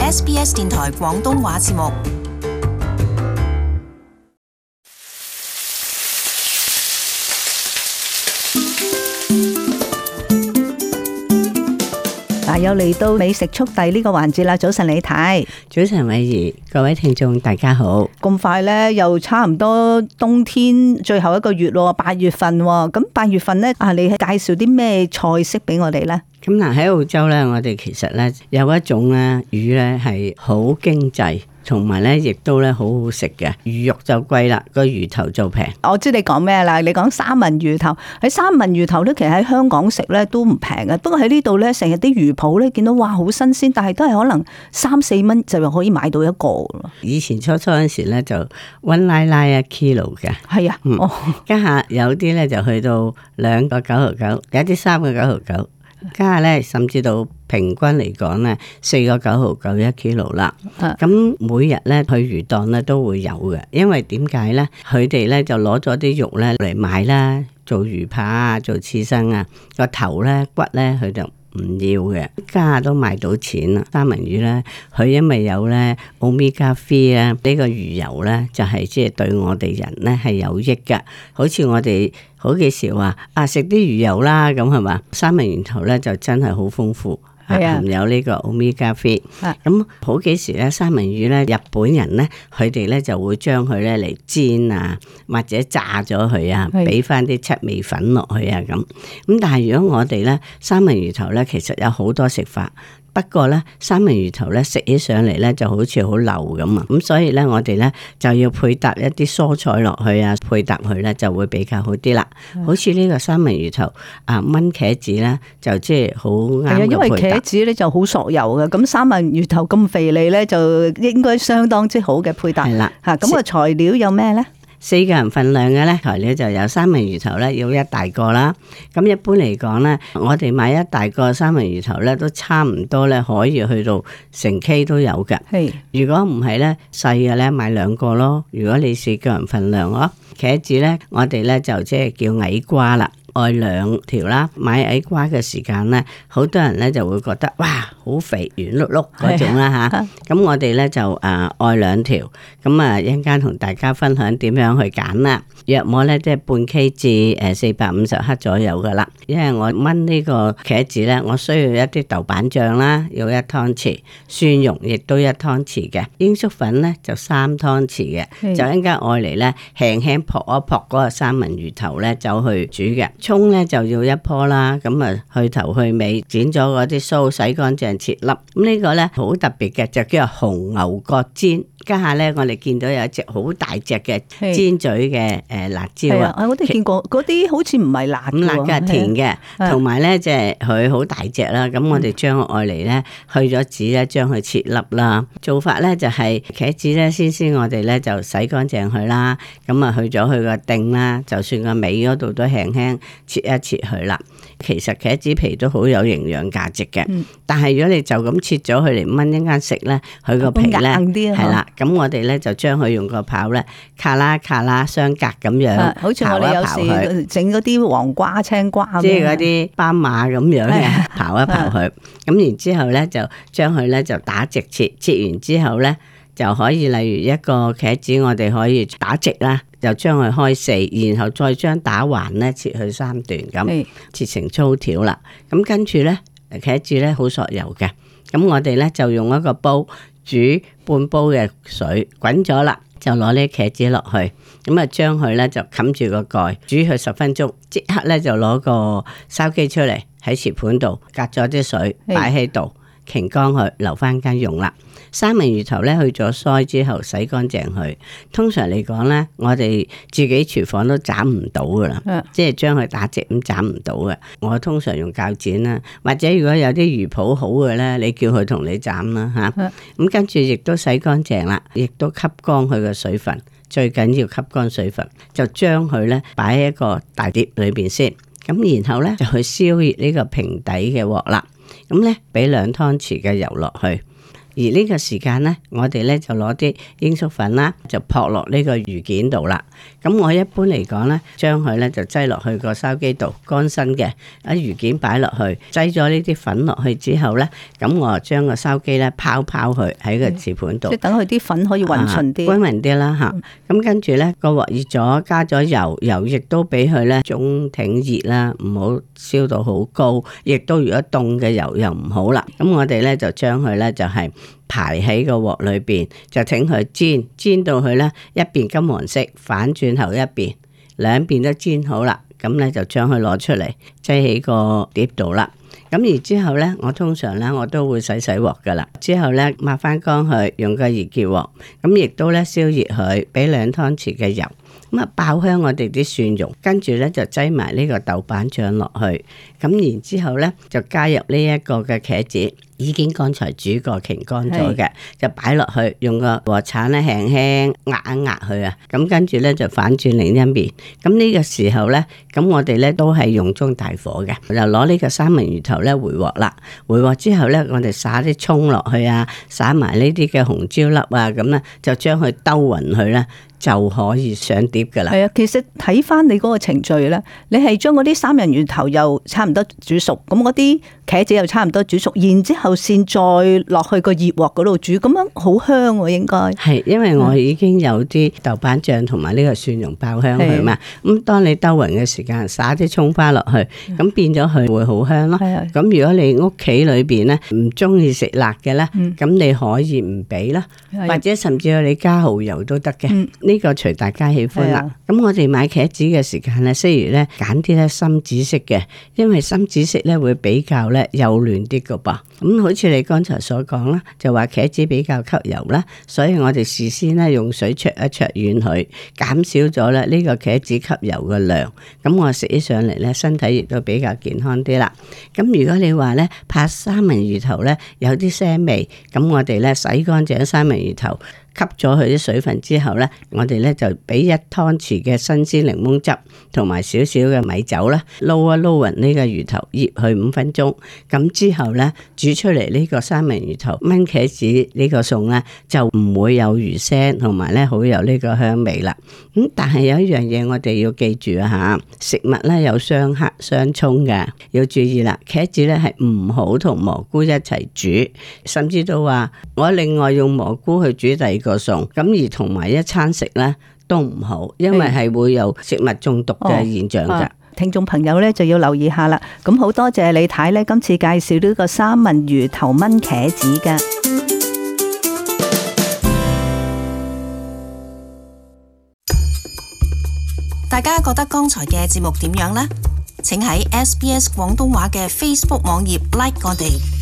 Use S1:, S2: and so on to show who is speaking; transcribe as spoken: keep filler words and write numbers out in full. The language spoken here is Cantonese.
S1: S B S 電台廣東話節目。
S2: 嗱，又嚟到美食速遞呢個環節啦！早晨李太，
S3: 早晨偉儀，各位聽眾大家好。
S2: 咁快咧，又差唔多冬天最後一個月咯，八月份。咁八月份咧，啊，你介紹啲咩菜式俾我哋咧？
S3: 咁嗱，喺澳洲咧，我哋其實咧有一種咧魚咧係好經濟，同埋咧亦都咧好好食嘅。魚肉就貴啦，個魚頭就平。
S2: 我知你講咩啦？你講三文魚頭，喺三文魚頭咧，其實喺香港食咧都唔平嘅。不過喺呢度咧，成日啲魚鋪咧見到哇好新鮮，但係都係可能三四蚊就可以買到一個咯。
S3: 以前初初嗰時咧就溫拉拉一 kilo 嘅，
S2: 係啊，
S3: 嗯，
S2: 哦，
S3: 家下有啲咧就去到兩個九毫九，有啲三個九毫九。家下咧，甚至到平均嚟講咧，四個九毫九一 kilo 啦。咁每日咧去魚檔咧都會有嘅，因為點解咧？佢哋咧就攞咗啲肉咧嚟賣啦，做魚扒啊，做刺身啊，個頭咧骨咧佢就唔要嘅，家下都賣到錢啦。三文魚咧，佢因為有咧 omega 三啊，呢個魚油咧就係即係對我哋人咧係有益㗎。好似我哋好幾時話啊食啲魚油啦，咁係嘛？三文魚頭咧就真係好豐富。係啊，含有呢個 omega 三。咁好幾時咧，三文魚咧，日本人咧，佢哋咧就會將佢咧嚟煎啊，或者炸咗佢啊，俾翻啲七味粉落去啊，咁。咁但係如果我哋咧，三文魚頭咧，其實有好多食法。不過咧，三文魚頭咧食起上嚟咧就好似好流咁啊，咁所以咧我哋咧就要配搭一啲蔬菜落去啊，配搭佢咧就會比較好啲啦。嗯、好似呢個三文魚頭啊，炆茄子咧就即係好啱嘅配搭。係啊，因為茄子咧就好索油嘅，咁三文魚頭咁肥膩咧就應該相當之好嘅配搭。係啦，吓咁個材料有咩咧？四個人份量嘅咧材料就有三文魚頭咧要一大個啦，咁一般嚟講咧，我哋買一大個三文魚頭咧都差唔多咧可以去到成 K 都有嘅。係，如果唔係咧細嘅咧買兩個咯。如果你四個人份量咯，茄子咧我哋咧就即係叫矮瓜啦。愛兩條啦，買矮瓜嘅時間咧，好多人咧就會覺得哇好肥圓碌碌嗰種啦吓，咁我哋咧就誒愛兩條，咁啊一陣間同大家分享點樣去揀啦。約莫咧即係半 K 至誒四百五十克左右噶啦，因為我炆呢個茄子咧，我需要一啲豆瓣醬啦，要一湯匙，蒜蓉亦都一湯匙嘅，鷹粟粉咧就三湯匙嘅，就一陣間愛嚟咧輕輕撲一撲嗰個三文魚頭咧走去煮嘅。蔥咧就要一棵啦，咁啊去頭去尾剪咗嗰啲鬚，洗乾淨切粒。咁呢個咧好特別嘅，就叫做紅牛角煎。家下咧我哋見到有一隻好大隻嘅尖嘴嘅誒辣椒啊，
S2: 我都見過，嗰啲好似唔係辣，
S3: 唔辣嘅，甜嘅，同埋咧即係佢好大隻啦。咁我哋將愛嚟咧去咗籽咧，將佢切粒啦。做法咧就係茄子咧，先先我哋咧就洗乾淨佢啦，咁啊去咗佢個頂啦，就算個尾嗰度都輕輕切一切佢啦。其實茄子皮都好有營養價值嘅，嗯、但係如果你就咁切咗佢嚟炆一間食咧，佢個皮咧係啦，咁我哋咧就將佢用個刨咧，卡啦卡啦相隔咁樣，
S2: 好似我哋有時整嗰啲黃瓜、青瓜，
S3: 即係嗰啲斑馬咁樣嘅刨一刨佢，咁然之後咧就將佢咧就打直切，切完之後咧就可以例如一個茄子，我哋可以打直啦。就將佢開四，然後再將打橫咧切去三段咁，切成粗條啦。咁跟住咧，茄子咧好索油嘅。咁我哋咧就用一個煲煮半煲嘅水，滾咗啦，就攞呢茄子落去。咁啊，將佢咧就冚住個蓋，煮佢十分鐘。即刻咧就攞個筲箕出嚟喺瓷盤度，隔咗啲水擺喺度。擎乾佢，留翻間用啦。三文魚頭咧去咗腮之後洗乾淨佢。通常嚟講咧，我哋自己廚房都斬唔到噶啦，的即係將佢打直咁斬唔到嘅。我通常用鉸剪啦，或者如果有啲魚鋪好嘅咧，你叫佢同你斬啦吓。咁的、嗯、跟住亦都洗乾淨啦，亦都吸乾佢嘅水分。最緊要吸乾水分，就將佢咧擺喺一個大碟裏邊先。咁然後咧就去燒熱呢個平底嘅鑊啦。咁咧，俾兩湯匙嘅油落去，而呢個時間咧，我哋咧就攞啲鷹粟粉啦，就撲落呢個魚件度啦。咁我一般嚟講咧，將佢咧就擠落去個筲箕度，乾身嘅，喺魚件擺落去，擠咗呢啲粉落去之後咧，咁我就將個筲箕咧拋拋佢喺個瓷盤度，
S2: 即係等佢啲粉可以勻順啲，
S3: 均勻啲啦嚇。咁、嗯、跟住咧個鑊熱咗，加咗油，油亦都俾佢咧中挺熱啦，唔好燒到好高，亦都如果凍嘅油又唔好啦。咁我哋咧就將佢咧就係排喺個鑊裏邊，就請佢煎，煎到佢咧一邊金黃色，反轉後一邊，兩邊都煎好啦。咁咧就將佢攞出嚟，擠喺個碟度啦。咁而之後咧，我通常咧我都會洗洗鑊噶啦。之後咧抹翻乾佢，用個熱結鑊，咁亦都咧燒熱佢，俾兩湯匙嘅油，咁啊爆香我哋啲蒜蓉，跟住咧就擠埋呢個豆瓣醬落去，咁然之後咧就加入呢一個嘅茄子。已經剛才煮過擎乾咗嘅，就擺落去，用個鑊鏟咧輕輕壓一壓佢啊，咁跟住咧就反轉另一面。咁呢個時候咧，咁我哋咧都係用中大火嘅，就攞呢個三文魚頭咧回鑊啦。回鑊之後咧，我哋撒啲蔥落去啊，撒埋呢啲嘅紅椒粒啊，咁咧就將佢兜勻佢咧，就可以上碟噶啦。係啊，
S2: 其實睇翻你嗰個程序咧，你係將嗰啲三文魚頭又差唔多煮熟，咁嗰啲茄子又差唔多煮熟，然之後先再落去個熱鑊嗰度煮，咁樣好香喎，應該
S3: 係，因為我已經有啲豆瓣醬同埋呢個蒜蓉爆香佢嘛。咁當你兜勻嘅時間，撒啲蔥花落去，咁變咗佢會好香咯。咁如果你屋企裏邊咧唔中意食辣嘅咧，咁你可以唔俾啦，或者甚至乎你加蠔油都得嘅。呢個隨大家喜歡啦。咁我哋買茄子嘅時間咧，雖然咧揀啲咧深紫色嘅，因為深紫色咧會比較咧幼嫩啲噶噃。咁好似你剛才所講啦，就話茄子比較吸油啦，所以我哋事先咧用水焯一焯軟佢，減少咗咧呢個茄子吸油嘅量。咁我食起上嚟咧，身體亦都比較健康啲啦。咁如果你話咧怕三文魚頭咧有啲腥味，咁我哋咧洗乾淨三文魚頭，吸咗佢啲水分之後咧，我哋咧就俾一湯匙嘅新鮮檸檬汁同埋少少嘅米酒啦，撈一撈勻呢個魚頭，醃佢五分鐘。咁之後咧煮出嚟呢個三文魚頭炆茄子呢個餸咧，就唔會有魚腥，同埋咧好有呢個香味啦。咁但係有一樣嘢我哋要記住啊吓，食物咧有相克相沖嘅，要注意啦。茄子咧係唔好同蘑菇一齊煮，甚至到話我另外用蘑菇去煮第二個餸，咁而同埋一餐食咧都唔好，因為係會有食物中毒嘅現象㗎。
S2: 聽眾朋友咧就要留意下啦。咁好多謝李太咧，今次介紹呢個三文魚頭炆茄子㗎。
S1: 大家覺得剛才嘅節目點樣呢？請喺 S B S 廣東話嘅 Facebook 網頁 like 我哋。